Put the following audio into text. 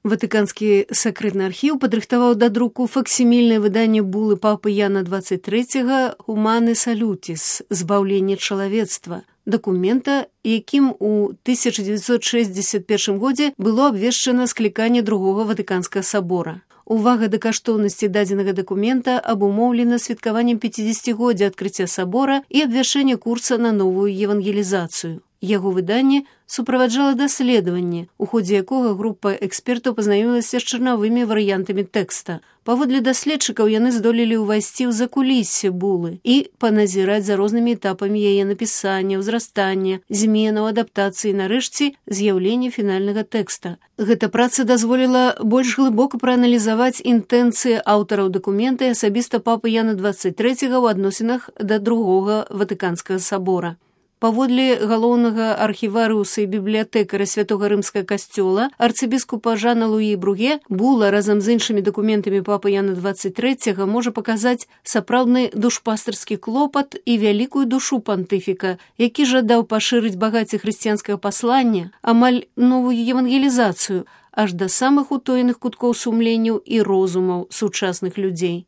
Ватыканскі сакрэтны архіў падрыхтаваў да друку факсімільнае выданне булы папы Яна 23 «Humane Salutis» «Збаўленне чалавецтва», дакумента, якім у 1961 годзе было абвешчана скліканне другога Ватыканскага сабора. Увага да каштоўнасці дадзенага дакумента абумоўлена святкаваннем 50-годдзя адкрыцця сабора і абвяшчэння курса на новую евангелізацыю. Яго выданне суправаджала даследаванне, у ходзе якога група экспертаў пазнаёмілася з чарнавымі варыянтамі тэкста. Паводле даследчыкаў яны здолелі ўвайсці ў закуліссе булы і паназіраць за рознымі этапамі яе напісання, ўзрастання, зменаў, адаптацыі, нарэшце з'яўлення фінальнага тэкста. Гэта праца дазволіла больш глыбока прааналізаваць інтэнцыі аўтараў дакумента і асабіста папы Яна 23 ў адносінах да другога Ватыканскага сабора. Паводле галоўнага архіварыуса і бібліятэкара святога рымскага касцёла арцыбіскупа Жана Луі Бруге, була разам з іншымі дакументамі папы Яна 23 можа паказаць сапраўдны душпастарскі клопат і вялікую душу пантыфіка, які жадаў пашырыць багацце хрысціянскага паслання, амаль новую евангелізацыю, аж да самых утоеных куткоў сумленняў і розумаў сучасных людзей.